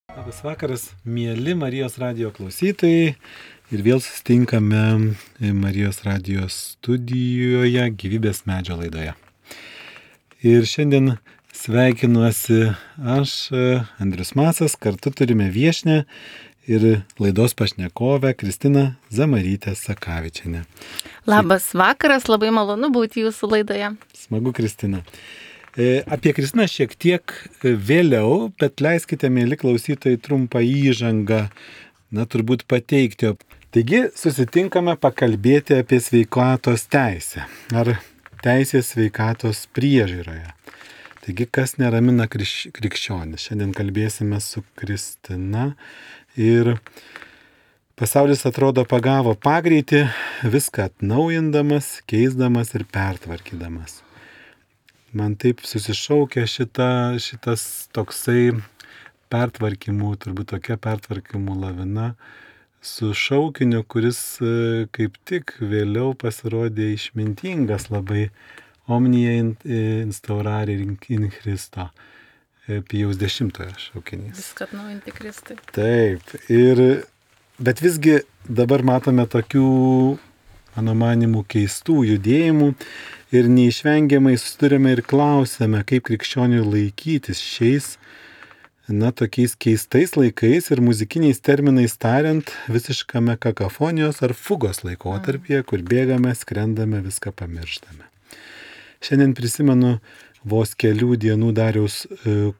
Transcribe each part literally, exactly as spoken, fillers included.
Labas vakaras, mėly Marijos radijo klausytojai. Ir vėl susitinkame Marijos radijo studijoje Gyvybės medžio laidoje. Ir šiandien sveikinuosi aš, Andrius Masas, kartu turime viešnią ir laidos pašnekovę Kristiną Zamarytę Sakavičienę. Labas vakaras, labai malonu būti jūsų laidoje. Smagu, Kristina. Apie Kristiną šiek tiek vėliau, bet leiskite, mėly klausytojai, trumpą įžangą, na, turbūt pateikti. Taigi, susitinkame pakalbėti apie sveikatos teisę ar teisės sveikatos priežiūroje. Taigi, kas neramina krikš, krikščionis. Šiandien kalbėsime su Kristina ir pasaulis atrodo pagavo pagreitį, viską atnaujindamas, keisdamas ir pertvarkydamas. Man taip susišaukia šita, šitas toksai pertvarkymų, turbūt tokia pertvarkymų lavina su šaukiniu, kuris kaip tik vėliau pasirodė išmintingas labai Omnia instaurare in Christo, Pijaus dešimtojo šaukinys. Viską atnaujinti Kristui. Taip, ir, bet visgi dabar matome tokių, mano manimų, keistų judėjimų. Ir neišvengiamai susidurime ir klausime, kaip krikščioniui laikytis šiais, na, tokiais keistais laikais ir muzikiniais terminais tariant, visiškame kakofonijos ar fugos laikotarpyje, kur bėgame, skrendame, viską pamirštame. Šiandien prisimenu vos kelių dienų Dariaus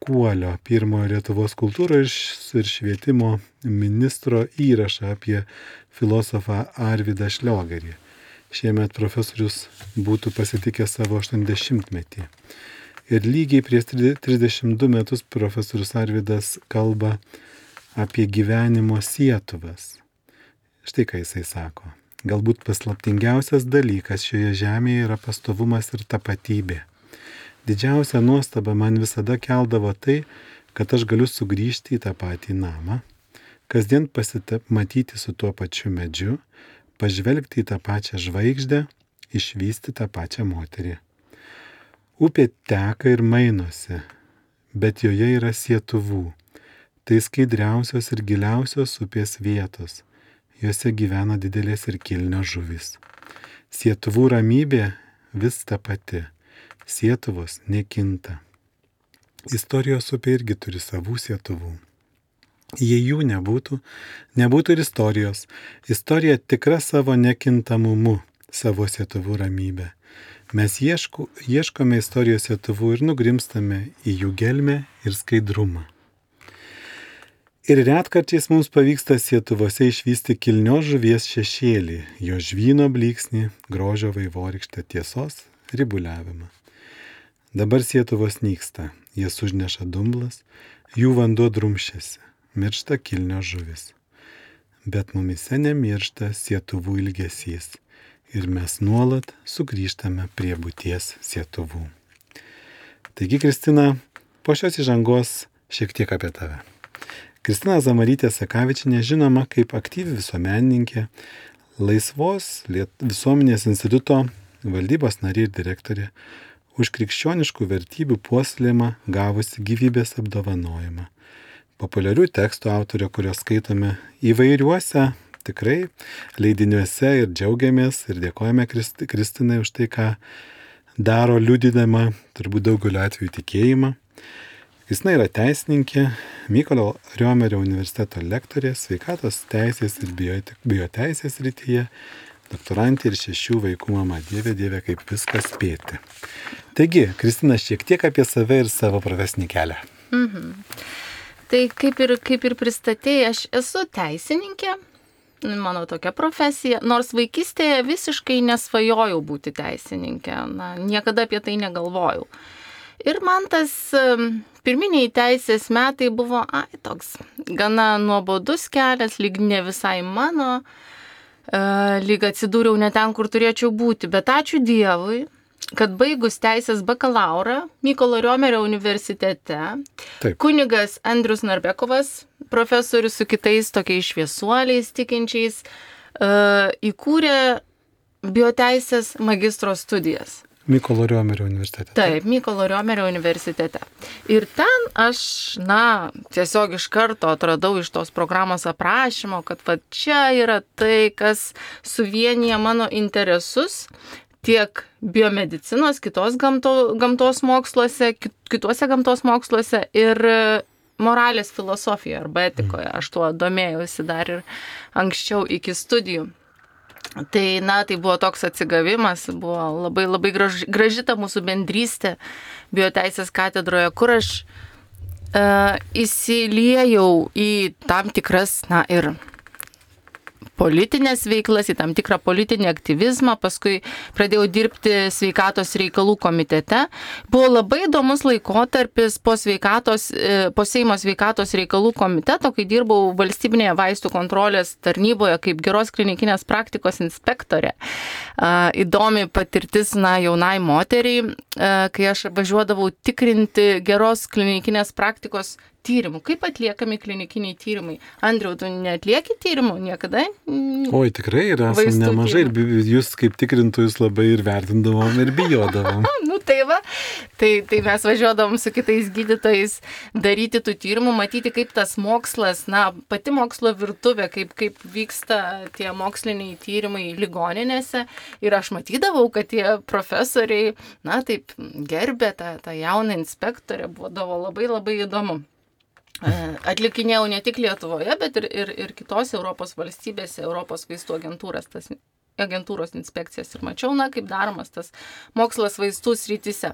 Kuolio, pirmojo Lietuvos kultūros ir švietimo ministro įrašą apie filosofą Arvydą Šliogerį. Šiemet profesorius būtų pasitikęs savo aštuoniasdešimtmetį. Ir lygiai prieš trisdešimt du metus profesorius Arvydas kalba apie gyvenimo sietuvas. Štai ką jisai sako. Galbūt paslaptingiausias dalykas šioje žemėje yra pastovumas ir tapatybė. Didžiausia nuostaba man visada keldavo tai, kad aš galiu sugrįžti į tą patį namą, kasdien pasimatyti su tuo pačiu medžiu, pažvelgti į tą pačią žvaigždę, išvysti tą pačią moterį. Upė teka ir mainosi, bet joje yra sietuvų. Tai skaidriausios ir giliausios upės vietos. Jose gyvena didelės ir kilnios žuvys. Sietuvų ramybė vis ta pati. Sietuvos nekinta. Istorijos upė irgi turi savų sietuvų. Jei jų nebūtų, nebūtų ir istorijos. Istorija tikra savo nekintamumu, savo sietuvų ramybę. Mes ieško, ieškome istorijos sietuvų ir nugrimstame į jų gelmę ir skaidrumą. Ir retkarčiais mums pavyksta sietuvose išvysti kilnios žuvies šešėlį, jo žvyno blyksnį, grožio vaivorykštę, tiesos ribuliavimą. Dabar sietuvos nyksta, jas užneša dumblas, jų vanduo drumščiasi. Miršta kilnios žuvis. Bet mumise nemiršta sietuvų ilgesys ir mes nuolat sugrįžtame prie būties sietuvų. Taigi, Kristina, po šios įžangos šiek tiek apie tave. Kristina Zamarytė Sakavičienė žinoma kaip aktyvi visuomenininkė, Laisvos visuomenės instituto valdybos narė ir direktorė, už krikščioniškų vertybių puoselėjimą gavusi gyvybės apdovanojimą. Populiarių tekstų autorė, kurios skaitome įvairiuose tikrai leidiniuose ir džiaugiamės ir dėkojame Kristi, Kristinai už tai, ką daro liudydama turbūt daugeliu atveju tikėjimą. Kristina yra teisininkė, Mykolo Riomerio universiteto lektorė, sveikatos teisės ir bioteisės rytyje, doktorantė ir šešių vaikų mama. Dieve, dieve, kaip viskas spėti. Taigi, Kristina, šiek tiek apie save ir savo profesinį kelią. Mhm. Tai kaip ir, kaip ir pristatėjai, aš esu teisininkė, mano tokia profesija, nors vaikystėje visiškai nesvajojau būti teisininkė, na, niekada apie tai negalvojau. Ir man tas pirminiai teisės metai buvo, ai, toks gana nuobodus kelias, lyg ne visai mano, lyg atsidūriau ne ten, kur turėčiau būti, bet ačiū Dievui, kad baigus teisės bakalaurą Mykolo Riomerio universitete, Taip. Kunigas Andrius Narbekovas, profesorius su kitais tokiais šviesuoliais tikinčiais, įkūrė bioteisės magistro studijas. Mykolo Riomerio universitete. Taip, Mykolo Riomerio universitete. Ir ten aš, na, tiesiog iš karto atradau iš tos programos aprašymo, kad va čia yra tai, kas suvienyje mano interesus tiek biomedicinos, kitos gamto, gamtos moksluose, kituose gamtos moksluose ir moralės filosofijoje arba etikoje. Aš tuo domėjausi dar ir anksčiau iki studijų. Tai, na, tai buvo toks atsigavimas, buvo labai, labai graži, graži ta mūsų bendrystė bioteisės katedroje, kur aš uh, įsiliejau į tam tikras, na, ir politinės veiklas, į tam tikrą politinį aktyvizmą, paskui pradėjau dirbti sveikatos reikalų komitete. Buvo labai įdomus laikotarpis po, sveikatos, po Seimo sveikatos reikalų komiteto, kai dirbau valstybinėje vaistų kontrolės tarnyboje kaip geros klinikinės praktikos inspektorė. Įdomi patirtis, na, jaunai moteriai, kai aš važiuodavau tikrinti geros klinikinės praktikos tyrimų. Kaip atliekami klinikiniai tyrimai? Andriau, tu neatlieki tyrimų niekada? Oi, tikrai yra nemažai. Ir jūs kaip tikrintojus labai ir vertindavom ir bijodavom. Nu tai va, tai, tai mes važiuodavom su kitais gydytojais daryti tų tyrimų, matyti kaip tas mokslas, na, pati mokslo virtuvė, kaip, kaip vyksta tie moksliniai tyrimai ligoninėse. Ir aš matydavau, kad tie profesoriai, na, taip gerbė tą, tą jauną inspektorę, buvo labai labai įdomu. Atlikinėjau ne tik Lietuvoje, bet ir, ir, ir kitose Europos valstybėse, Europos vaistų agentūros, tas, agentūros inspekcijas ir mačiau, na, kaip daromas tas mokslas vaistų srityse.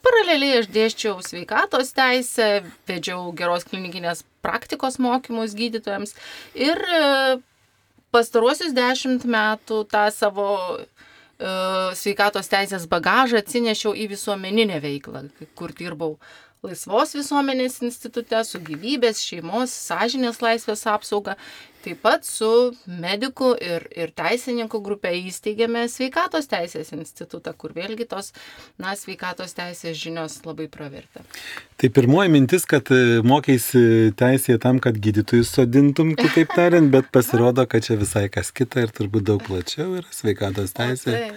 Paraleliai aš dėsčiau sveikatos teisę, vedžiau geros klinikinės praktikos mokymus gydytojams ir pastaruosius dešimt metų tą savo uh, sveikatos teisės bagažą atsinešiau į visuomeninę veiklą, kur dirbau Laisvos visuomenės institute, su gyvybės, šeimos, sąžinės laisvės apsauga. Taip pat su medikų ir, ir teisininkų grupė įsteigėme sveikatos teisės institutą, kur vėlgi tos, na, sveikatos teisės žinios labai pravertė. Tai pirmoji mintis, kad mokėsi teisėje tam, kad gydytojus sodintum, kitaip tariant, bet pasirodo, kad čia visai kas kita ir turbūt daug plačiau yra sveikatos teisė.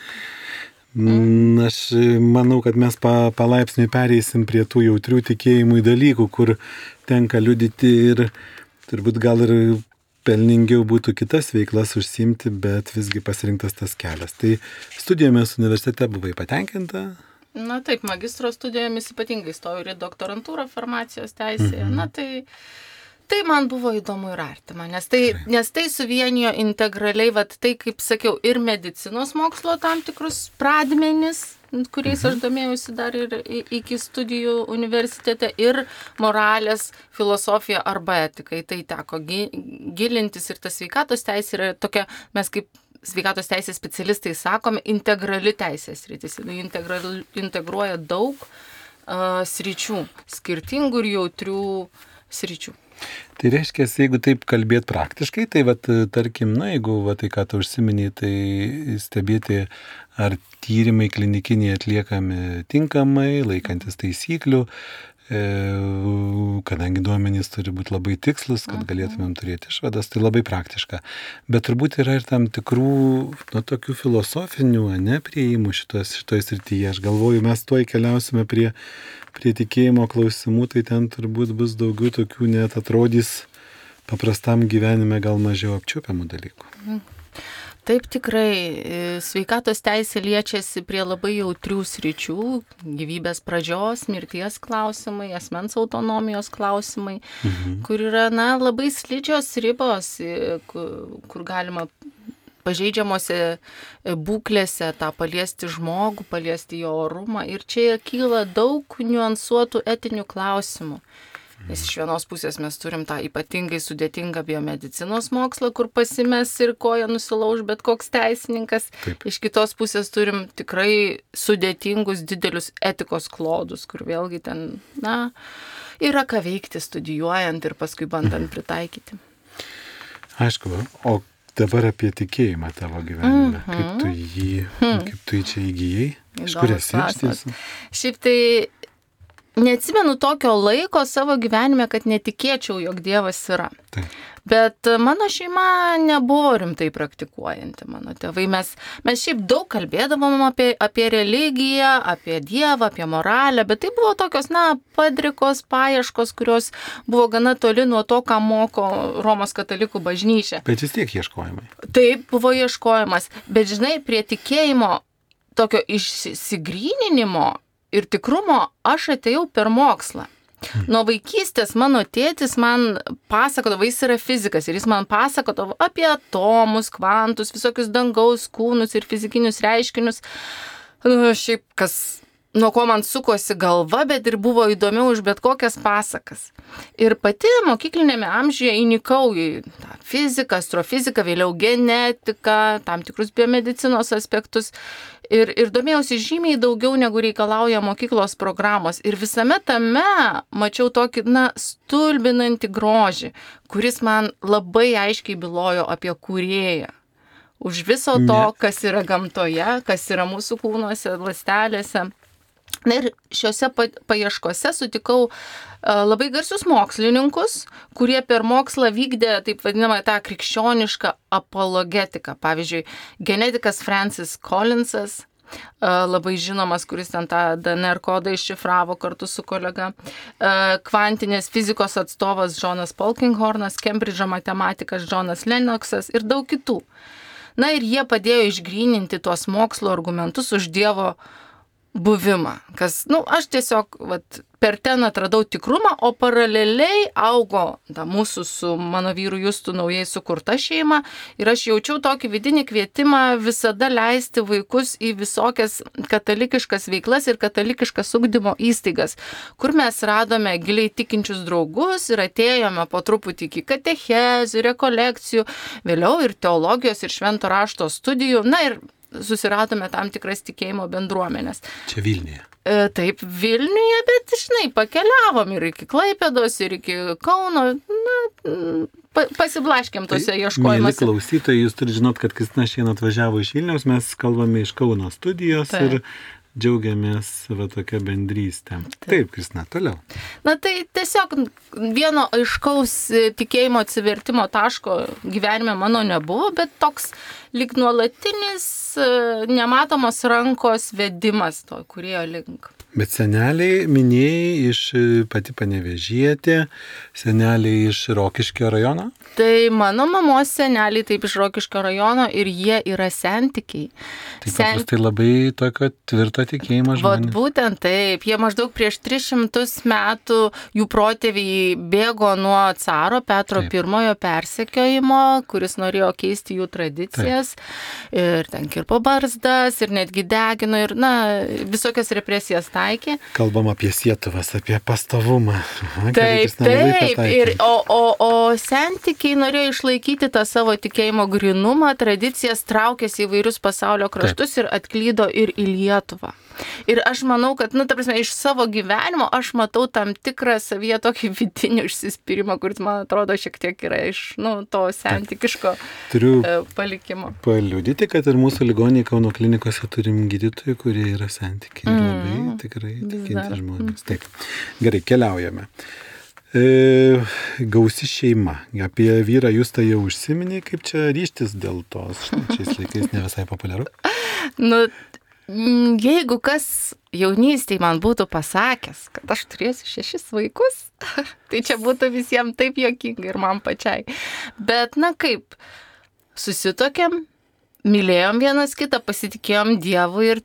Mm. Aš manau, kad mes pa, palaipsniui pereisim prie tų jautrių tikėjimų dalykų, kur tenka liudyti ir turbūt gal ir pelningiau būtų kitas veiklas užsiimti, bet visgi pasirinktas tas kelias. Tai studijomis universitete buvai patenkinta? Na taip, magistro studijomis ypatingai stojau ir doktorantūrą farmacijos teisėje. Mhm. Na tai... Tai man buvo įdomu ir artima, nes tai, nes tai suvienijo integraliai, vat, tai, kaip sakiau, ir medicinos mokslo tam tikrus pradmenis, kuriais aš domėjausi dar ir iki studijų universitete, ir moralės filosofija arba etikai. Tai teko gilintis ir tas sveikatos teisė yra tokia, mes kaip sveikatos teisės specialistai sakome, integrali teisės sritis. Integral, integruoja daug uh, sričių, skirtingų ir jautrių sričių. Tai reiškia, jeigu taip kalbėt praktiškai, tai vat, tarkim, na, jeigu va, tai ką tu užsiminei, tai stebėti, ar tyrimai klinikiniai atliekami tinkamai, laikantis taisyklių, e, kadangi duomenys turi būti labai tikslus, kad galėtumėm turėti išvadas, tai labai praktiška. Bet turbūt yra ir tam tikrų, nu, tokių filosofinių, ne, prieimų šitos, šitoj srityje. Aš galvoju, mes tuoj keliausime prie prie tikėjimo klausimų, tai ten turbūt bus daugiau tokių, net atrodys paprastam gyvenime gal mažiau apčiuopiamų dalykų. Taip, tikrai, sveikatos teisė liečiasi prie labai jautrių sričių, gyvybės pradžios, mirties klausimai, asmens autonomijos klausimai, mhm. kur yra, na, labai slidžios ribos, kur, kur galima pažeidžiamose būklėse tą paliesti žmogų, paliesti jo orumą. Ir čia kyla daug niuansuotų etinių klausimų. Nes iš vienos pusės mes turim tą ypatingai sudėtingą biomedicinos mokslą, kur pasimes ir koja nusilauž bet koks teisininkas. Taip. Iš kitos pusės turim tikrai sudėtingus didelius etikos klodus, kur vėlgi ten, na, yra ką veikti studijuojant ir paskui bandant pritaikyti. Aišku, o dabar apie tikėjimą tavo gyvenime. Mm-hmm. Kaip tu jį, mm. kaip tu jį čia įgyjai? Iš kur esi iš tiesų? Šiaip tai neatsimenu tokio laiko savo gyvenime, kad netikėčiau, jog Dievas yra. Taip. Bet mano šeima nebuvo rimtai praktikuojanti, mano tėvai. Mes, mes šiaip daug kalbėdavom apie, apie religiją, apie Dievą, apie moralę, bet tai buvo tokios, na, padrikos paieškos, kurios buvo gana toli nuo to, ką moko Romos katalikų bažnyčia. Bet vis tiek ieškojimai. Taip, buvo ieškojimas. Bet žinai, prie tikėjimo tokio išsigryninimo ir tikrumo aš atėjau per mokslą. Nuo vaikystės mano tėtis man pasakodavo, jis yra fizikas ir jis man pasakodavo apie atomus, kvantus, visokius dangaus kūnus ir fizikinius reiškinius. Nu, šiaip kas, nuo ko man sukosi galva, bet ir buvo įdomiau už bet kokias pasakas. Ir pati mokyklinėme amžiuje įnikau į tą fiziką, astrofiziką, vėliau genetiką, tam tikrus biomedicinos aspektus. Ir, ir domėjausi žymiai daugiau, negu reikalauja mokyklos programos. Ir visame tame mačiau tokį, na, stulbinantį grožį, kuris man labai aiškiai bylojo apie kūrėją. Už viso to, kas yra gamtoje, kas yra mūsų kūnuose, ląstelėse. Na ir šiuose paieškose sutikau labai garsius mokslininkus, kurie per mokslą vykdė taip vadinamą tą krikščionišką apologetiką. Pavyzdžiui, genetikas Francis Collinsas, labai žinomas, kuris ten tą D N R kodą iššifravo kartu su kolega, kvantinės fizikos atstovas Jonas Polkinghornas, Kembridžo matematikas Jonas Lennoxas ir daug kitų. Na ir jie padėjo išgryninti tuos mokslo argumentus už Dievo buvimą, kas, nu, aš tiesiog vat, per ten atradau tikrumą, o paraleliai augo ta, mūsų su mano vyru Justu naujai sukurta šeima ir aš jaučiau tokį vidinį kvietimą visada leisti vaikus į visokias katalikiškas veiklas ir katalikiškas ugdymo įstaigas, kur mes radome giliai tikinčius draugus ir atėjome po truputį iki katechezių, rekolekcijų, vėliau ir teologijos ir švento rašto studijų, na ir susiradome tam tikras tikėjimo bendruomenės. Čia Vilniuje. E, taip, Vilniuje, bet, žinai, pakeliavom ir iki Klaipėdos, ir iki Kauno, na, pa, pasiblaškėm tose ieškojimuose. Mėly klausytojai, jūs turite žinot, kad Kristina šiandien atvažiavo iš Vilniaus, mes kalbame iš Kauno studijos taip. Ir džiaugiamės va tokia bendrystė. Taip, Taip Kristina, toliau. Na tai tiesiog vieno aiškaus tikėjimo atsivertimo taško gyvenime mano nebuvo, bet toks lyg nuolatinis nematomos rankos vedimas to kūrėjo link. Bet seneliai minėjai iš pati Panevėžietė, seneliai iš Rokiškio rajono? Tai mano mamos seneliai taip iš Rokiškio rajono ir jie yra sentikiai. Tai Sen... paprastai labai tokio tvirto tikėjimo žmonės. Vat būtent taip, jie maždaug prieš tris šimtus metų jų protėviai bėgo nuo caro Petro taip. Pirmojo persekiojimo, kuris norėjo keisti jų tradicijas taip. Ir ten kirpo barzdas ir netgi degino ir na, visokias represijas taikė. Kalbam apie sietuvas, apie pastovumą. Aha, taip, taip. Ir, o, o, o sentikiai norėjo išlaikyti tą savo tikėjimo grinumą, tradicijas, traukėsi į vairius pasaulio kraštus taip. Ir atklydo ir į Lietuvą. Ir aš manau, kad, nu, ta prasme, iš savo gyvenimo aš matau tam tikrą savyje tokį vidinį užsispyrimą, kuris, man atrodo, šiek tiek yra iš, nu, to sentikiško Turiu palikimo. Paliudyti, kad ir mūsų ligoniai Kauno klinikose turim gydytojų, kurie yra sentikiai. Ir mm, labai tikrai tikinti žmonės. Taip. Gerai, keliaujame. E, gausi šeima. Apie vyrą jūs tai jau užsiminė, kaip čia ryštis dėl tos, štai šiais laikais ne visai populiaru. Nu, jeigu kas jaunystėje man būtų pasakęs, kad aš turėsiu šešis vaikus, tai čia būtų visiems taip juokinga ir man pačiai. Bet, na kaip, susituokėm, mylėjom vienas kitą, pasitikėjom Dievu ir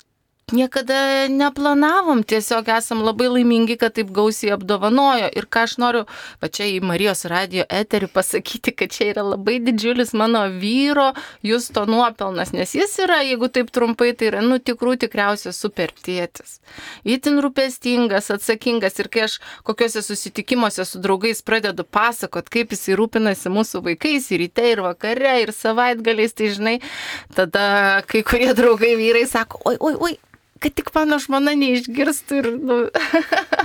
niekada neplanavom, tiesiog esam labai laimingi, kad taip gausiai apdovanojo. Ir ką aš noriu va čia į Marijos radijo eterį pasakyti, kad čia yra labai didžiulis mano vyro Justo nuopelnas, nes jis yra, jeigu taip trumpai, tai yra, nu, tikrų tikriausias super tėtis. Itin rūpestingas, atsakingas ir kai aš kokiuose susitikimuose su draugais pradedu pasakot, kaip jis rūpinasi mūsų vaikais ir ryte, ir vakare, ir savaitgaliais, tai žinai, tada kai kurie draugai vyrai sako, oi, oi, oi, kad tik mano žmona neišgirstų ir, nu...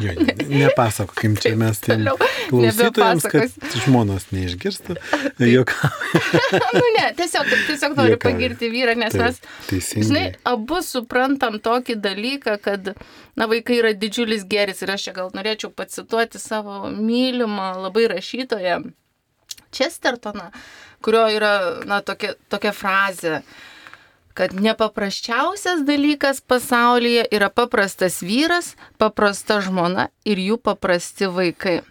Jo, nepasakokim čia mes tiem klausytojams, kad žmonos neišgirstų. Nu ne, tiesiog, tiesiog noriu Jokavai. Pagirti vyrą, nes Taip, mes, teisingai. žinai, abu suprantam tokį dalyką, kad, na, vaikai yra didžiulis gėris ir aš čia gal norėčiau pacituoti savo mylimą labai rašytoją Chestertoną, kurio yra, na, tokia, tokia frazė, kad nepaprasčiausias dalykas pasaulyje yra paprastas vyras, paprasta žmona ir jų paprasti vaikai.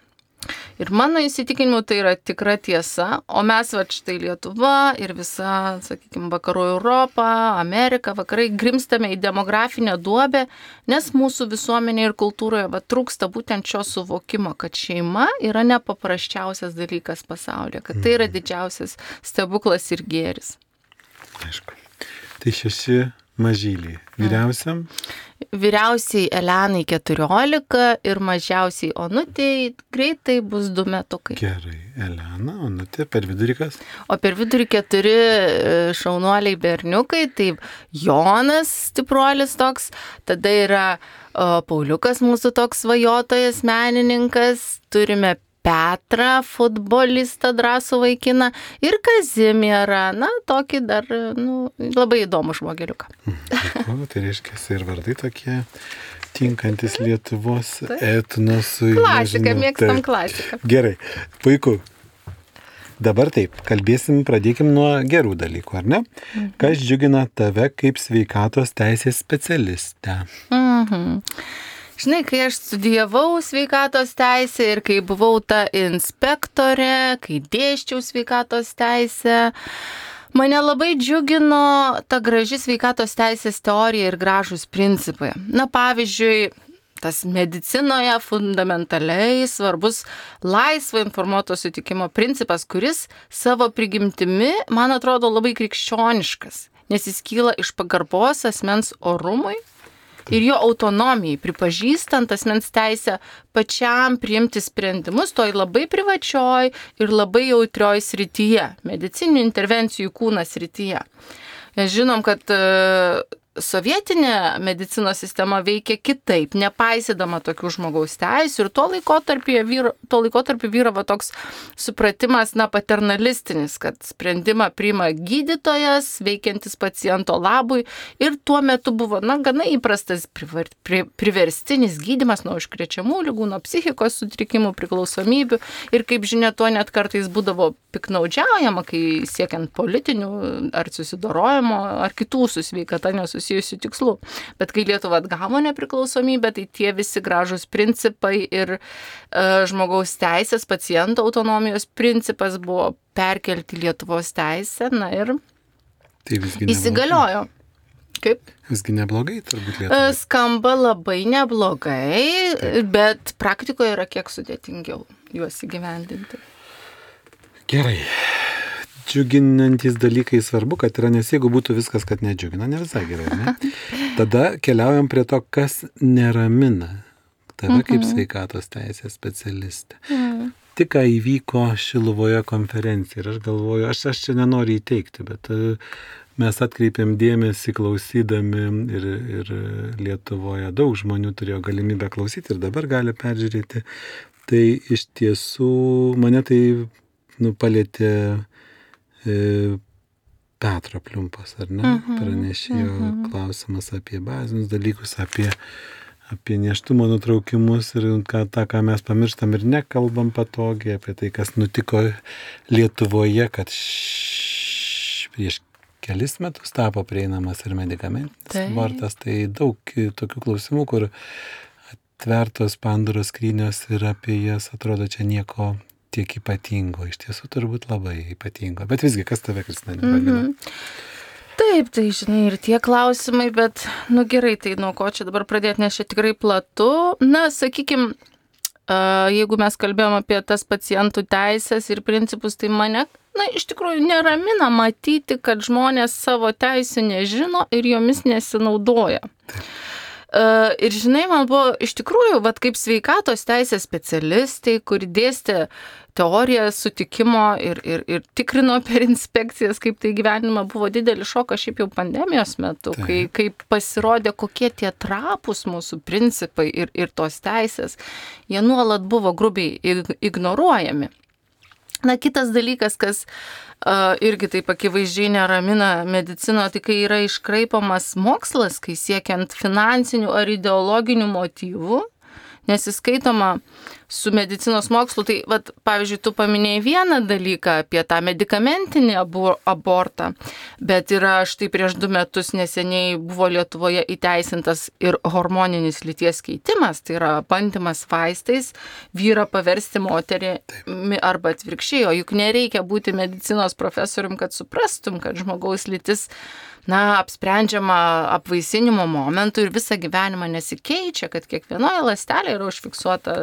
Ir mano įsitikinimu tai yra tikra tiesa, o mes va štai Lietuva ir visa, sakykime, vakarų Europa, Amerika, vakarai grimstame į demografinę duobę, nes mūsų visuomenėje ir kultūroje va trūksta būtent šio suvokimo, kad šeima yra nepaprasčiausias dalykas pasaulyje, kad tai yra didžiausias stebuklas ir gėris. Aišku. Tai šeši mažyliai. Vyriausiam? Vyriausiai Elenai keturiolika ir mažiausiai Onutei greitai bus du metukai. Gerai, Elena, Onutė, per vidurį kas? O per vidurį keturi šaunuoliai berniukai, tai Jonas stipruolis toks, tada yra o, Pauliukas mūsų toks svajotojas, menininkas, turime Petrą, futbolistą, drąsų vaikiną ir Kazimierą, na, tokį dar, nu, labai įdomų žmogeliuką. O, tai reiškia, ir vardai tokie tinkantis Lietuvos etnosui. Klasika, mėgstam klasiką. Gerai, puiku. Dabar taip, kalbėsim, pradėkim nuo gerų dalykų, ar ne? Mhm. Kas džiugina tave kaip sveikatos teisės specialistę? Mhm. Žinai, kai aš studijavau sveikatos teisę ir kai buvau ta inspektorė, kai dėsčiau sveikatos teisę, mane labai džiugino ta graži sveikatos teisės teorija ir gražūs principai. Na, pavyzdžiui, tas medicinoje fundamentaliai svarbus laisvo informuoto sutikimo principas, kuris savo prigimtimi, man atrodo, labai krikščioniškas, nes jis kyla iš pagarbos asmens orumui ir jo autonomijai, pripažįstant asmens teisę pačiam priimti sprendimus toj labai privačioj ir labai jautrioj srityje, medicininių intervencijų kūno srityje. Žinom, kad sovietinė medicinos sistema veikia kitaip, nepaisydama tokių žmogaus teisių ir tuo laikotarpiu vyra, tuo laikotarpiu vyravo toks supratimas, na, paternalistinis, kad sprendimą priima gydytojas, veikiantis paciento labui ir tuo metu buvo, na, gana įprastas privar, pri, priverstinis gydymas nuo užkrečiamų ligų, nuo psichikos sutrikimų, priklausomybių ir, kaip žinia, tuo net kartais būdavo piknaudžiaujama, kai siekiant politinių ar susidorojimo ar kitų su sveikata nesusijusių tikslų. Bet kai Lietuva atgavo nepriklausomybę, tai tie visi gražūs principai ir e, žmogaus teisės, paciento autonomijos principas buvo perkelti Lietuvos teisę, na ir tai įsigaliojo. Kaip? Visgi neblogai, turbūt Lietuvoje. Skamba labai neblogai, Taip. Bet praktikoje yra kiek sudėtingiau juos įgyvendinti. Gerai. Džiuginantys dalykai svarbu, kad yra, nes jeigu būtų viskas, kad nedžiugina, ne visai gerai, ne? Tada keliaujam prie to, kas neramina tave mm-hmm. kaip sveikatos teisės specialistė. Mm. Tik ką įvyko Šiluvoje konferencija ir aš galvoju, aš, aš čia nenoriu įteikti, bet mes atkreipėm dėmesį klausydami ir, ir Lietuvoje daug žmonių turėjo galimybę klausyti ir dabar gali peržiūrėti. Tai iš tiesų mane tai nu, palėtė e, Petro Pliumpas, ar ne? Uh-huh, Pranešėjo uh-huh. klausimas apie bazinius dalykus, apie, apie nėštumo nutraukimus ir ką, tą, ką mes pamirštam ir nekalbam patogiai, apie tai, kas nutiko Lietuvoje, kad š, prieš kelis metus tapo prieinamas ir medikamentinis tai. abortas. Tai daug tokių klausimų, kur atvertos Pandoros skrynios ir apie jas atrodo čia nieko tiek ypatingo, iš tiesų turbūt labai ypatingo. Bet visgi, kas tave, Kristina, neramina? Mm-hmm. Taip, tai žinai, ir tie klausimai, bet, nu gerai, tai nuo ko čia dabar pradėti, nes čia tikrai platu. Na, sakykime, jeigu mes kalbėjom apie tas pacientų teisės ir principus, tai mane, na, iš tikrųjų neramina matyti, kad žmonės savo teisų nežino ir jomis nesinaudoja. Taip. Ir žinai, man buvo iš tikrųjų, vat, kaip sveikatos teisės specialistai, kuri dėstė teoriją sutikimo ir, ir, ir tikrino per inspekcijas, kaip tai gyvenimą, buvo didelis šokas šiaip jau pandemijos metu, tai. kai, kai pasirodė, kokie tie trapus mūsų principai ir, ir tos teisės, jie nuolat buvo grubiai ignoruojami. Na, kitas dalykas, kas uh, irgi taip akivaizdžiai neramina medicinoje, tai kai yra iškraipamas mokslas, kai siekiant finansinių ar ideologinių motyvų, nesiskaitoma su medicinos mokslu, tai, vat, pavyzdžiui, tu paminėjai vieną dalyką apie tą medikamentinį abortą, bet yra štai prieš du metus neseniai buvo Lietuvoje įteisintas ir hormoninis lyties keitimas, tai yra bandymas vaistais vyrą paversti moterimi arba atvirkščiai, o juk nereikia būti medicinos profesorium, kad suprastum, kad žmogaus lytis na, apsprendžiama apvaisinimo momentu ir visą gyvenimą nesikeičia, kad kiekvienoje ląstelėje yra užfiksuota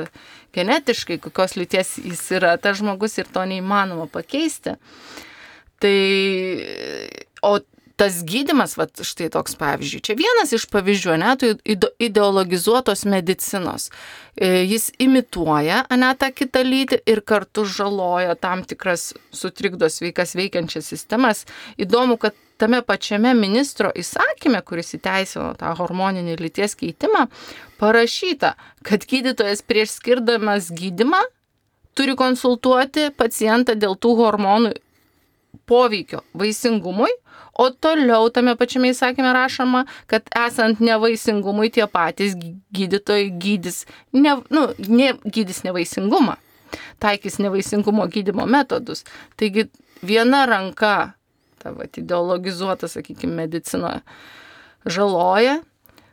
genetiškai, kokios lyties jis yra, tas žmogus ir to neįmanoma pakeisti. Tai, o tas gydymas, va, štai toks pavyzdžiui, čia vienas iš pavyzdžių, ne, tai ideologizuotos medicinos. Jis imituoja, ne, tą kitą lytį ir kartu žaloja tam tikras sutrikdo sveikas veikiančias sistemas. Įdomu, kad tame pačiame ministro įsakyme, kuris įteisino tą hormoninį lyties keitimą, parašyta, kad gydytojas prieš skirdamas gydymą turi konsultuoti pacientą dėl tų hormonų poveikio vaisingumui, o toliau tame pačiame įsakyme rašoma, kad esant nevaisingumui tie patys gydytojai gydys, ne, nu, ne, gydys nevaisingumą, taikys nevaisingumo gydymo metodus. Taigi viena ranka ta va, ideologizuota, sakykime, medicinoje žaloja,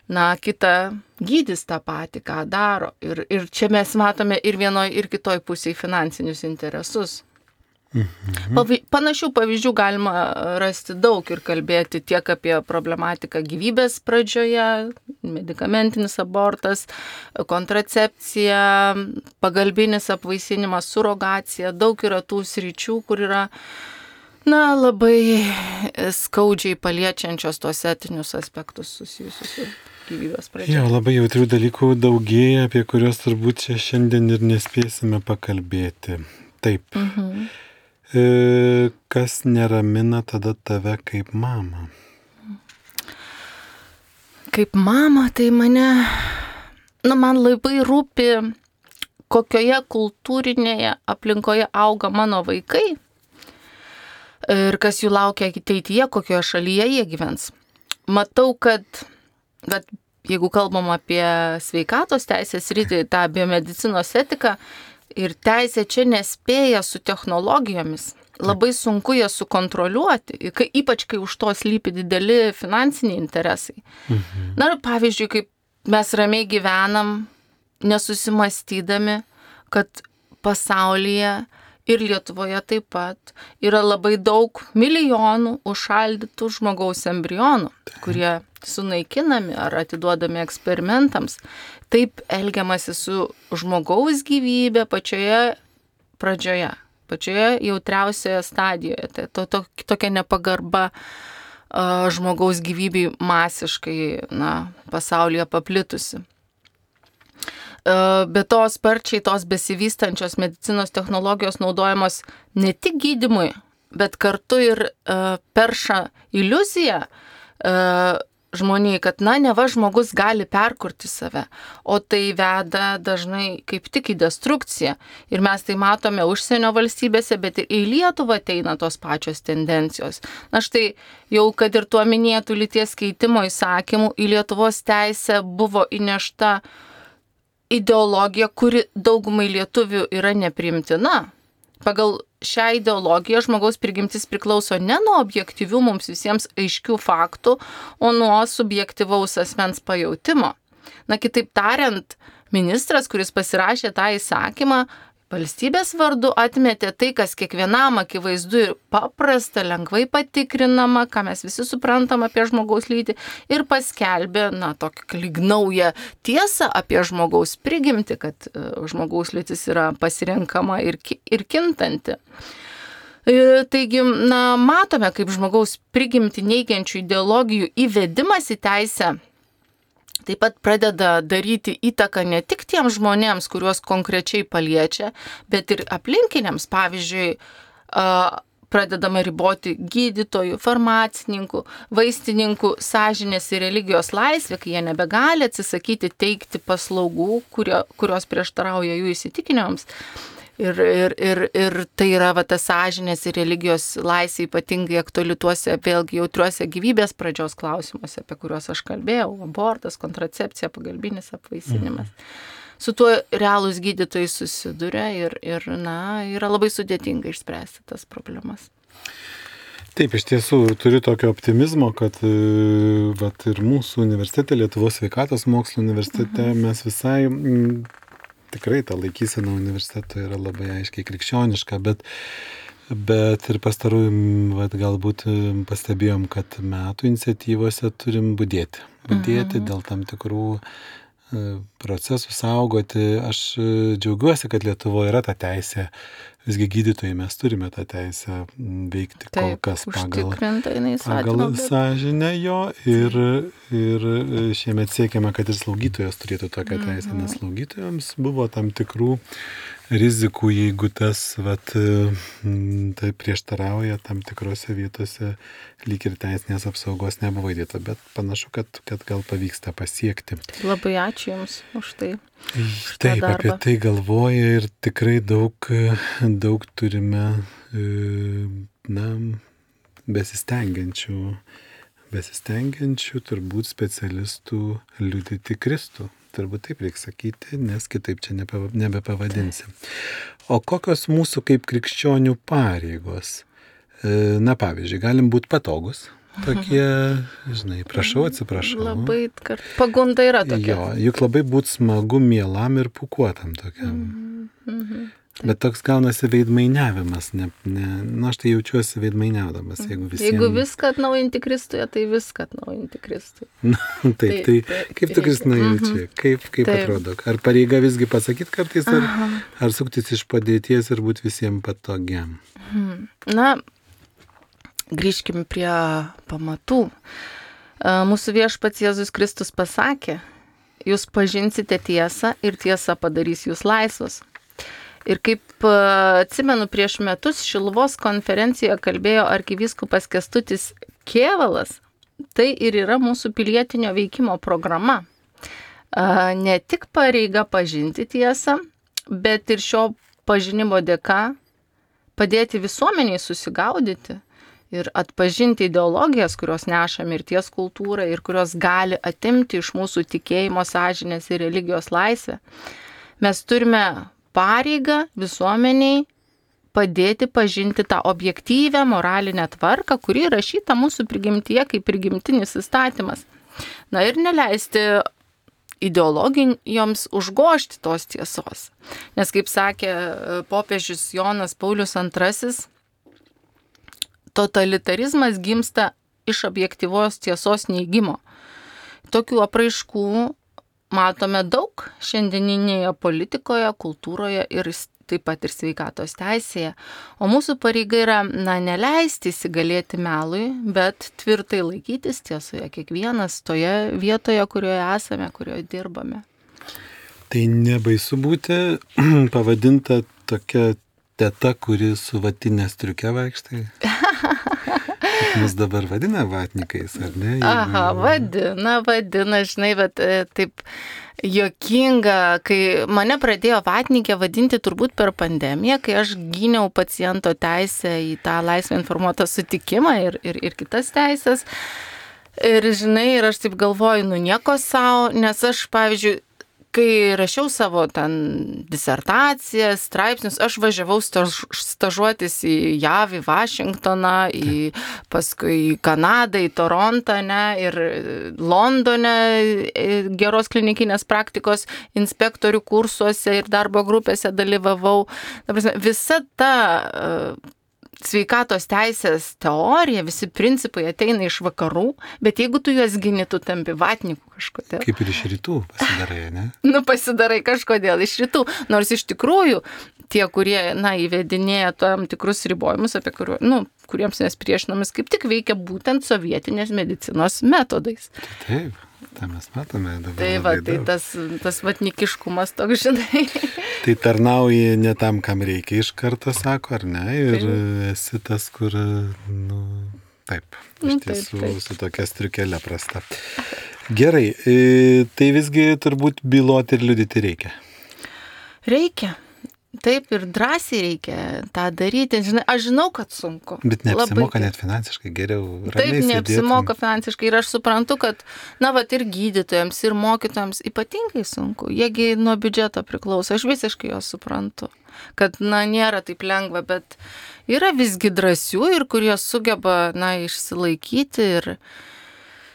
na, kita gydys tą patį, ką daro. Ir, ir čia mes matome ir vienoj, ir kitoj pusėje finansinius interesus. Mhm. Panašių pavyzdžių galima rasti daug ir kalbėti tiek apie problematiką gyvybės pradžioje, medikamentinis abortas, kontracepcija, pagalbinis apvaisinimas, surogacija. Daug yra tų sričių, kur yra na, labai skaudžiai paliečiančios tos etinius aspektus susijusius su gyvybės pradžia. Jo, labai jautrių dalykų daugėja, apie kuriuos turbūt čia šiandien ir nespėsime pakalbėti. Taip. Mhm. E, kas neramina tada tave kaip mamą? Kaip mama, tai mane, na, man labai rūpi, kokioje kultūrinėje aplinkoje auga mano vaikai. Ir kas jų laukia ateityje, kokioje šalyje jie gyvens. Matau, kad, kad jeigu kalbam apie sveikatos teisės rytį, tą biomedicinos etiką ir teisė čia nespėja su technologijomis, labai sunku jas sukontroliuoti, ypač kai už to slypi dideli finansiniai interesai. Mhm. Na ir pavyzdžiui, kaip mes ramiai gyvenam, nesusimastydami, kad pasaulyje ir Lietuvoje taip pat yra labai daug milijonų užšaldytų žmogaus embrionų, kurie sunaikinami ar atiduodami eksperimentams. Taip elgiamasi su žmogaus gyvybė pačioje pradžioje, pačioje jautriausioje stadijoje. Tai to, to, tokia nepagarba uh, žmogaus gyvybei masiškai na, pasaulyje paplitusi. Be to sparčiai tos besivystančios medicinos technologijos naudojamos ne tik gydymui, bet kartu ir uh, perša iliuziją uh, žmoniai, kad na, neva žmogus gali perkurti save, o tai veda dažnai kaip tik į destrukciją. Ir mes tai matome užsienio valstybėse, bet ir į Lietuvą ateina tos pačios tendencijos. Na štai jau, kad ir tuo minėtų lyties keitimo įsakymų, į Lietuvos teisę buvo įnešta ideologija, kuri daugumai lietuvių yra nepriimtina. Pagal šią ideologiją žmogaus prigimtis priklauso ne nuo objektyvių mums visiems aiškių faktų, o nuo subjektyvaus asmens pajautimo. Na, kitaip tariant, ministras, kuris pasirašė tą įsakymą, valstybės vardu atmetė tai, kas kiekvienam akivaizdu ir paprasta, lengvai patikrinama, ką mes visi suprantam apie žmogaus lytį, ir paskelbė, na, tokią lyg naują tiesą apie žmogaus prigimtį, kad žmogaus lytis yra pasirenkama ir, ir kintanti. Taigi, na, matome, kaip žmogaus prigimtį neigiančių ideologijų įvedimas į teisę taip pat pradeda daryti įtaką ne tik tiems žmonėms, kuriuos konkrečiai paliečia, bet ir aplinkiniams. Pavyzdžiui, pradedama riboti gydytojų, farmacininkų, vaistininkų sąžinės ir religijos laisvę, kai jie nebegali atsisakyti teikti paslaugų, kurio, kurios prieštarauja jų įsitikinimams. Ir, ir, ir, ir tai yra va, ta sąžinės ir religijos laisvė ypatingai aktuali tuose vėlgi jautriuose gyvybės pradžios klausimuose, apie kuriuos aš kalbėjau, abortas, kontracepcija, pagalbinis apvaisinimas. Mhm. Su tuo realūs gydytojai susiduria ir, ir na, yra labai sudėtinga išspręsti tas problemas. Taip, iš tiesų turiu tokio optimizmo, kad vat, ir mūsų universitete, Lietuvos sveikatos mokslo universitete, mhm. mes visai... M, tikrai ta laikysena universiteto yra labai aiškiai krikščioniška, bet, bet ir pastarųjų vat, galbūt pastebėjom, kad metų iniciatyvose turim budėti. Budėti mhm. dėl tam tikrų procesų saugoti. Aš džiaugiuosi, kad Lietuvoje yra ta teisė. Visgi gydytojai mes turime tą teisę veikti Taip, kol kas pagal, pagal sąžinę jo ir, ir šiemet siekiame, kad ir slaugytojas turėtų tokią teisę, mm-hmm. nes slaugytojams buvo tam tikrų rizikų, jeigu tas vat, tai prieštarauja tam tikrose vietose, lyg ir teisinės apsaugos nebuvo įdėta, bet panašu, kad, kad gal pavyksta pasiekti. Labai ačiū Jums už tai. Taip, apie tai galvoja ir tikrai daug, daug turime na, besistengiančių, besistengiančių turbūt specialistų liudyti Kristų. Turbūt taip reikia sakyti, nes kitaip čia nebepavadinsim. O kokios mūsų kaip krikščionių pareigos? Na, pavyzdžiui, galim būti patogus. Tokie, žinai, prašau, atsiprašau. Labai kart... pagunda yra tokia. Jo, juk labai būtų smagu mielam ir pūkuotam tokiam. Mm-hmm. Bet toks gaunasi veidmainiavimas. Ne, ne, nu, aš tai jaučiuosi veidmainiaudamas, jeigu visiems... Jeigu viską atnaujinti Kristuje, tai viską atnaujinti Kristuje. Na, taip, tai, tai, tai kaip tu Kristina jauči? Mm-hmm. Kaip, kaip atrodo? Ar pareiga visgi pasakyti kartais, ar, ar suktis iš padėties ir būti visiems patogiam? Mm. Na, grįžkime prie pamatų. Mūsų viešpats Jėzus Kristus pasakė, jūs pažinsite tiesą ir tiesa padarys jūs laisvus. Ir kaip atsimenu, prieš metus Šiluvos konferencijoje kalbėjo arkivyskupas Kęstutis Kėvalas, tai ir yra mūsų pilietinio veikimo programa. Ne tik pareiga pažinti tiesą, bet ir šio pažinimo dėka padėti visuomeniai susigaudyti ir atpažinti ideologijas, kurios neša mirties kultūrą ir kurios gali atimti iš mūsų tikėjimo, sąžinės ir religijos laisvę. Mes turime pareigą visuomeniai padėti pažinti tą objektyvę moralinę tvarką, kuri rašyta mūsų prigimtyje kaip prigimtinis įstatymas. Na ir neleisti ideologijoms užgožti tos tiesos. Nes kaip sakė popiežius Jonas Paulius antrasis, totalitarizmas gimsta iš objektyvos tiesos neigimo. Tokių apraiškų matome daug šiandieninėje politikoje, kultūroje ir taip pat ir sveikatos teisėje. O mūsų pareiga yra, na, neleisti įsigalėti melui, bet tvirtai laikytis tiesoje kiekvienas toje vietoje, kurioje esame, kurioje dirbame. Tai nebaisu būti pavadinta tokia teta, kuri su vatinė striuke vaikštai? Mus dabar vadina vatnikais, ar ne? Jeigu... Aha, vadina, vadina, žinai, bet taip juokinga, kai mane pradėjo vatnikė vadinti turbūt per pandemiją, kai aš gyniau paciento teisę į tą laisvę informuotą sutikimą ir, ir, ir kitas teisės. Ir žinai, ir aš taip galvoju, nu nieko savo, nes aš, pavyzdžiui, kai rašiau savo ten disertacijas, straipsnius, aš važiavau staž, stažuotis į J A V, į Vašingtoną, į, paskui į Kanadą, į Torontą, ne, ir Londone geros klinikinės praktikos inspektorių kursuose ir darbo grupėse dalyvavau. Ta prasme, visa ta uh, sveikatos teisės teorija, visi principai ateina iš vakarų, bet jeigu tu juos gini, tu tampi vatniku kažkodėl. Kaip ir iš rytų pasidarai, ne? Nu, pasidarai kažkodėl iš rytų. Nors iš tikrųjų tie, kurie, na, įvedinėja tam tikrus ribojimus, apie kuriuo, nu, kuriems mes priešinomis, kaip tik veikia būtent sovietinės medicinos metodais. Taip. tą mes matome dabar. Tai va, tai tas, tas vatnikiškumas toks, žinai. Tai tarnauji ne tam, kam reikia iš karto, sako, ar ne? Ir taip. Esi tas, kur, nu, taip, iš nu, tiesų taip, taip. Su tokia striukelė prasta. Gerai, tai visgi turbūt byloti ir liudyti reikia. Reikia. Taip, ir drąsiai reikia tą daryti. Žinai, aš žinau, kad sunku. Bet neapsimoka net finansiškai, geriau ramiai sėdėtum. Taip, neapsimoka finansiškai. Ir aš suprantu, kad, na, va, ir gydytojams, ir mokytojams ypatingai sunku. Jiegi nuo biudžeto priklauso. Aš visiškai jo suprantu. Kad, na, nėra taip lengva, bet yra visgi drąsių ir kurie sugeba, na, išsilaikyti ir,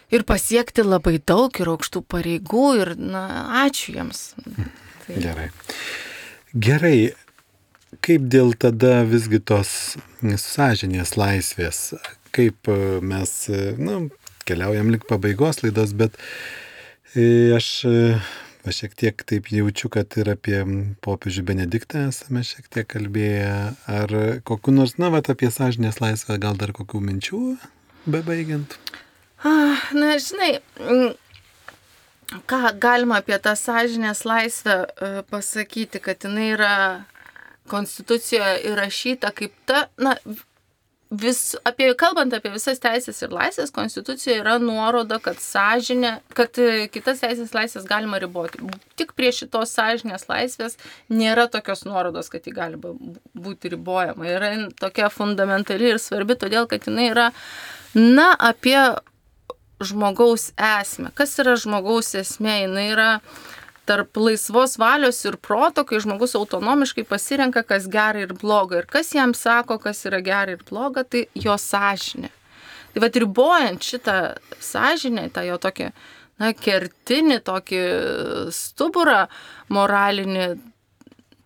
ir pasiekti labai daug ir aukštų pareigų. Ir, na, ačiū jiems. Tai... Gerai. Gerai, kaip dėl tada visgi tos sąžinės laisvės, kaip mes, nu, keliaujam link pabaigos laidos, bet aš, aš šiek tiek taip jaučiu, kad ir apie popiežių Benediktą esame šiek tiek kalbėję, ar kokiu nors, na, vat, apie sąžinės laisvę, gal dar kokių minčių bebaigiant? Na, žinai, ką galima apie tą sąžinės laisvę pasakyti, kad jinai yra konstitucijoje įrašyta kaip ta, na, vis, apie, kalbant apie visas teisės ir laisvės, konstitucijoje yra nuoroda, kad sąžinė, kad kitas teisės laisvės galima riboti. Tik prie šitos sąžinės laisvės nėra tokios nuorodos, kad ji gali būti ribojama. Yra tokia fundamentali ir svarbi, todėl, kad jinai yra, na, apie žmogaus esmę. Kas yra žmogaus esmė? Jinai yra tarp laisvos valios ir proto, kai žmogus autonomiškai pasirenka, kas gera ir bloga. Ir kas jam sako, kas yra gera ir bloga, tai jo sąžinė. Tai vat ribojant šitą sąžinę, tą jo tokį, na, kertinį, tokį stuburą moralinį,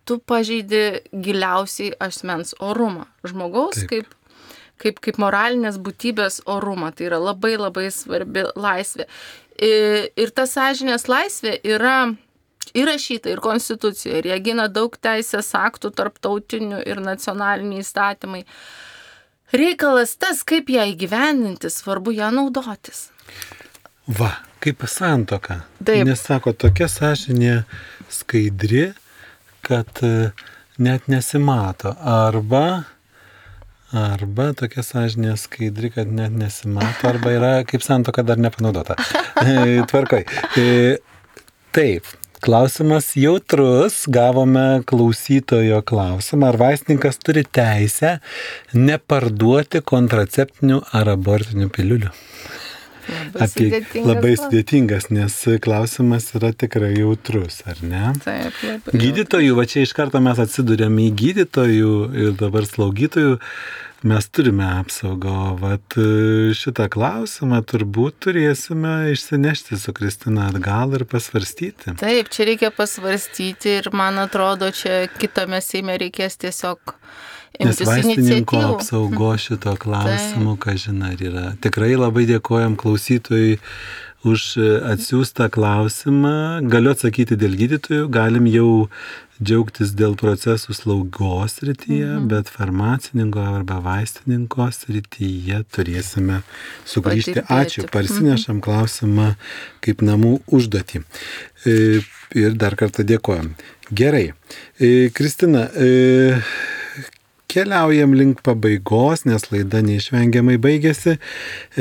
tu pažeidi giliausiai asmens orumą. Žmogaus Taip. kaip Kaip, kaip moralinės būtybės orumą. Tai yra labai labai svarbi laisvė. Ir, ir ta sąžinės laisvė yra įrašyta ir konstitucijoje. Ir jie gina daug teisės aktų, tarptautinių ir nacionaliniai įstatymai. Reikalas tas, kaip ją įgyvendinti, svarbu ją naudotis. Va, kaip santuoka. Taip. Nes sako, tokia sąžinė skaidri, kad net nesimato. Arba... Arba tokia sąžinė skaidri, kad net nesimato, arba yra kaip santuoka dar nepanaudota. Tvarkoj. Taip, klausimas jautrus, gavome klausytojo klausimą, ar vaistininkas turi teisę neparduoti kontraceptinių ar abortinių piliulių? Labai Apie, sudėtingas. Labai sudėtingas, nes klausimas yra tikrai jautrus, ar ne? Taip, labai. Gydytojų, va čia iš karto mes atsidurėme į gydytojų ir dabar slaugytojų, mes turime apsaugą, vat šitą klausimą turbūt turėsime išsinešti su Kristina atgal ir pasvarstyti. Taip, čia reikia pasvarstyti ir man atrodo, čia kitame Seime reikės tiesiog Nes vaistininko apsaugo šito klausimu, ką žinai, yra. Tikrai labai dėkojam klausytojui už atsiųstą klausimą. Galiu atsakyti dėl gydytojų, galim jau džiaugtis dėl procesų slaugos srityje, mhm. bet farmacininko arba vaistininko srityje turėsime sugrįžti. Patirbėti. Ačiū, parsinešam mhm. klausimą kaip namų užduotį. Ir dar kartą dėkojam. Gerai. Kristina, keliaujam link pabaigos, nes laida neišvengiamai baigėsi.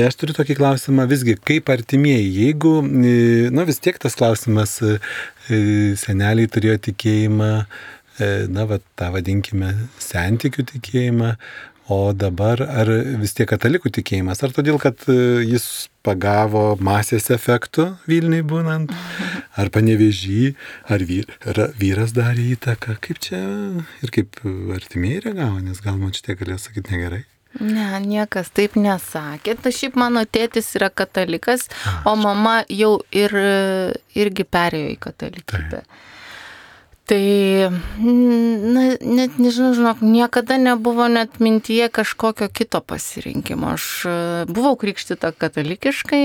Aš turiu tokį klausimą visgi, kaip artimieji, jeigu, na vis tiek tas klausimas, seneliai turėjo tikėjimą, na va, tą vadinkime santykių tikėjimą, o dabar ar vis tiek katalikų tikėjimas, ar todėl, kad jis pagavo masės efektų Vilniui būnant, ar Panevėžy, ar vyras darė įtaką, kaip čia ir kaip artimieji reagavo, nes gal man šitie galėjo sakyti negerai. Ne, niekas taip nesakė. Tai šiaip mano tėtis yra katalikas, A, o mama jau ir, irgi perėjo į katalikybę. Tai, na, net nežinau, žinok, niekada nebuvo net mintyje kažkokio kito pasirinkimo. Aš buvau krikštyta katalikiškai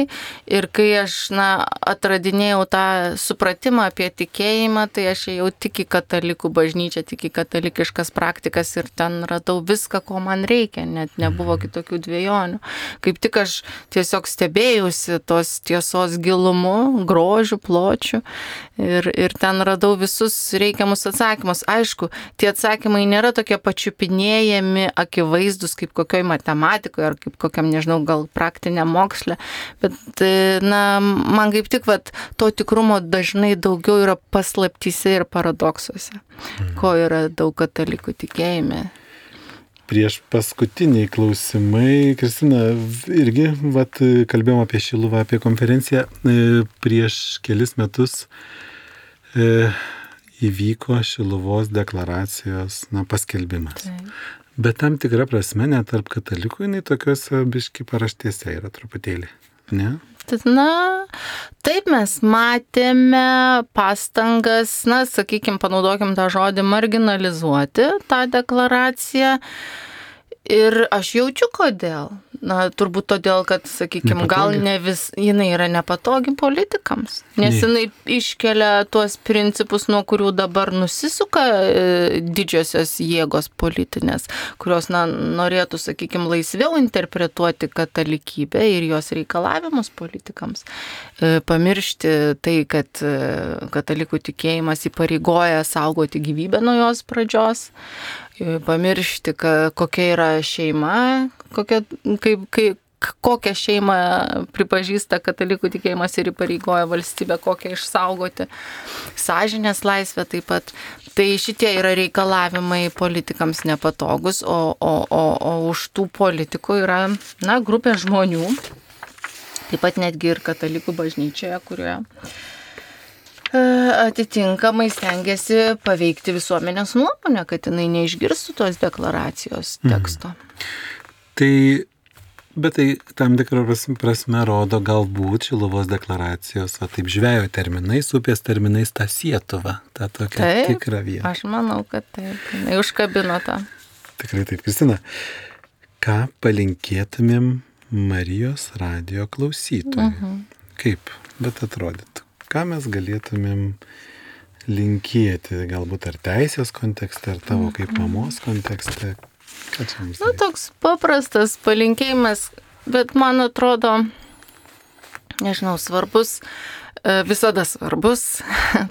ir kai aš, na, atradinėjau tą supratimą apie tikėjimą, tai aš ėjau tik į katalikų bažnyčią, tik į katalikiškas praktikas ir ten radau viską, ko man reikia, net nebuvo kitokių dviejonių. Kaip tik aš tiesiog stebėjausi tos tiesos gilumu, grožiu, pločiu ir, ir ten radau visus reikiamus atsakymus. Aišku, tie atsakymai nėra tokie pačiupinėjami, akivaizdus kaip kokioj matematikoje ar kaip kokiam, nežinau, gal praktiniam moksle, bet, na, man kaip tik, vat, to tikrumo dažnai daugiau yra paslaptyse ir paradoksuose, ko yra daug katalikų tikėjime. Prieš paskutiniai klausimai, Kristina, irgi vat, kalbėjom apie Šiluvą, apie konferenciją. Prieš kelis metus e, įvyko Šiluvos deklaracijos, na, paskelbimas. Taip. Bet tam tikra prasme, net tarp katalikų, jinai tokiuose biški paraštėse yra truputėlį, ne? Na, taip mes matėme pastangas, na, sakykime, panaudokim tą žodį marginalizuoti tą deklaraciją ir aš jaučiu kodėl. Na, turbūt todėl, kad, sakykime, gal ne vis, jinai yra nepatogi politikams, nes ne. Jinai iškelia tuos principus, nuo kurių dabar nusisuka e, didžiosios jėgos politinės, kurios, na, norėtų, sakykime, laisviau interpretuoti katalikybę ir jos reikalavimus politikams. E, pamiršti tai, kad e, katalikų tikėjimas įpareigoja saugoti gyvybę nuo jos pradžios. Pamiršti, kokia yra šeima, kokia, kaip, kaip, kokią šeimą pripažįsta katalikų tikėjimas ir įpareigoja valstybę, kokią išsaugoti, sąžinės laisvę taip pat. Tai šitie yra reikalavimai politikams nepatogus, o, o, o, o už tų politikų yra, na, grupė žmonių, taip pat netgi ir katalikų bažnyčioje, kurioje atitinkamai stengiasi paveikti visuomenės nuomonę, kad jinai neišgirstų tos deklaracijos teksto. Mhm. Tai, bet tai tam tikrą prasme rodo galbūt Šiluvos deklaracijos, o taip žvejo terminais, upės terminais tą Sietuvą, tą tokią taip, tikrą vietą. Aš manau, kad taip, jinai užkabino tą. Tikrai taip, Kristina. Ką palinkėtumėm Marijos radijo klausytojui? Mhm. Kaip, bet atrodytų? Ką mes galėtumėm linkėti, galbūt ar teisės kontekste, ar tavo kaip mamos kontekste? Ką čia mums Na, toks paprastas palinkėjimas, bet man atrodo, nežinau, svarbus, visada svarbus,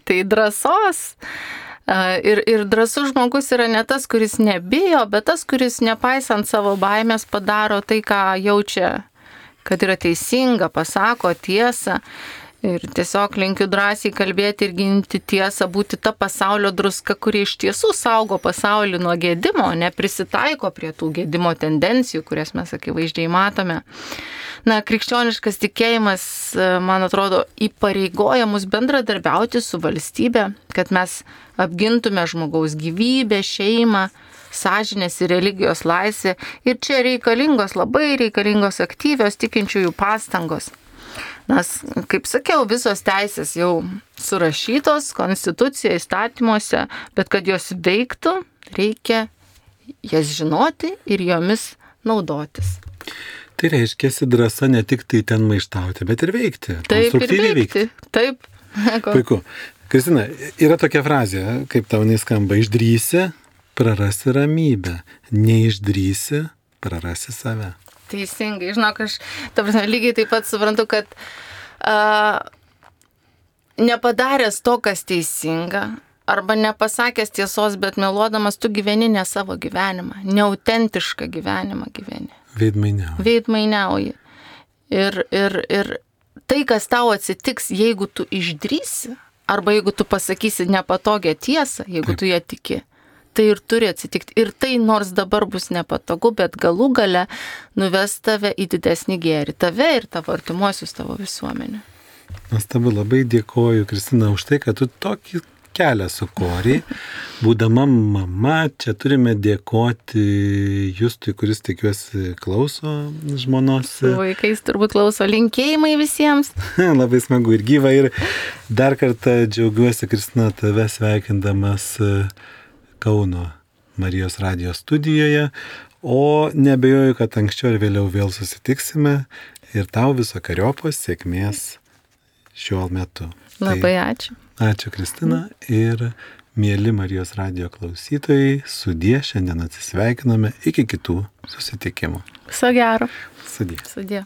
tai drąsos. Ir, ir drąsus žmogus yra ne tas, kuris nebijo, bet tas, kuris nepaisant savo baimės padaro tai, ką jaučia, kad yra teisinga, pasako tiesą. Ir tiesiog linkiu drąsiai kalbėti ir ginti tiesą, būti ta pasaulio druska, kuri iš tiesų saugo pasaulį nuo gedimo, neprisitaiko prie tų gedimo tendencijų, kurias mes akivaizdžiai matome. Na, krikščioniškas tikėjimas, man atrodo, įpareigoja mus bendradarbiauti su valstybe, kad mes apgintume žmogaus gyvybę, šeimą, sąžinės ir religijos laisvę. Ir čia reikalingos, labai reikalingos aktyvios tikinčiųjų pastangos. Nes, kaip sakiau, visos teisės jau surašytos konstitucijoje, įstatymuose, bet kad jos veiktų, reikia jas žinoti ir jomis naudotis. Tai reiškia, drąsa ne tik tai ten maištauti, bet ir veikti. Taip, ir veikti. Taip. Puiku. Kristina, yra tokia frazė, kaip tau neskamba, išdrįsi, prarasi ramybę, neišdrįsi, prarasi save. Teisingai, žinok, aš ta prasme, lygiai taip pat suprantu, kad a, nepadaręs to, kas teisinga, arba nepasakęs tiesos, bet meluodamas, tu gyveni ne savo gyvenimą, neautentišką gyvenimą gyveni. Veidmainiauji. Veidmainiauji. Ir, ir, ir tai, kas tau atsitiks, jeigu tu išdrįsi, arba jeigu tu pasakysi nepatogią tiesą, jeigu taip. Tu ją tiki. Tai ir turi atsitikti. Ir tai nors dabar bus nepatogu, bet galų gale nuves tave į didesnį gėrį. Tave ir tavo artimuosius, tavo visuomenę. Nuostabu, labai dėkoju, Kristina, už tai, kad tu tokį kelią su Kori. Būdama mama, čia turime dėkoti Justui, kuris tikiuosi klauso žmonos. Su vaikais turbūt klauso. Linkėjimai visiems. Labai smagu ir gyva. Ir dar kartą džiaugiuosi, Kristina, tave sveikindamas Kauno Marijos radijos studijoje. O nebejoju, kad anksčiau ir vėliau vėl susitiksime. Ir tau visokeriopos sėkmės šiuo metu. Labai ačiū. Tai, ačiū, Kristina. Ir mėly Marijos radijo klausytojai, sudie, šiandien atsisveikiname iki kitų susitikimų. Viso gero. Sudie. Sudie.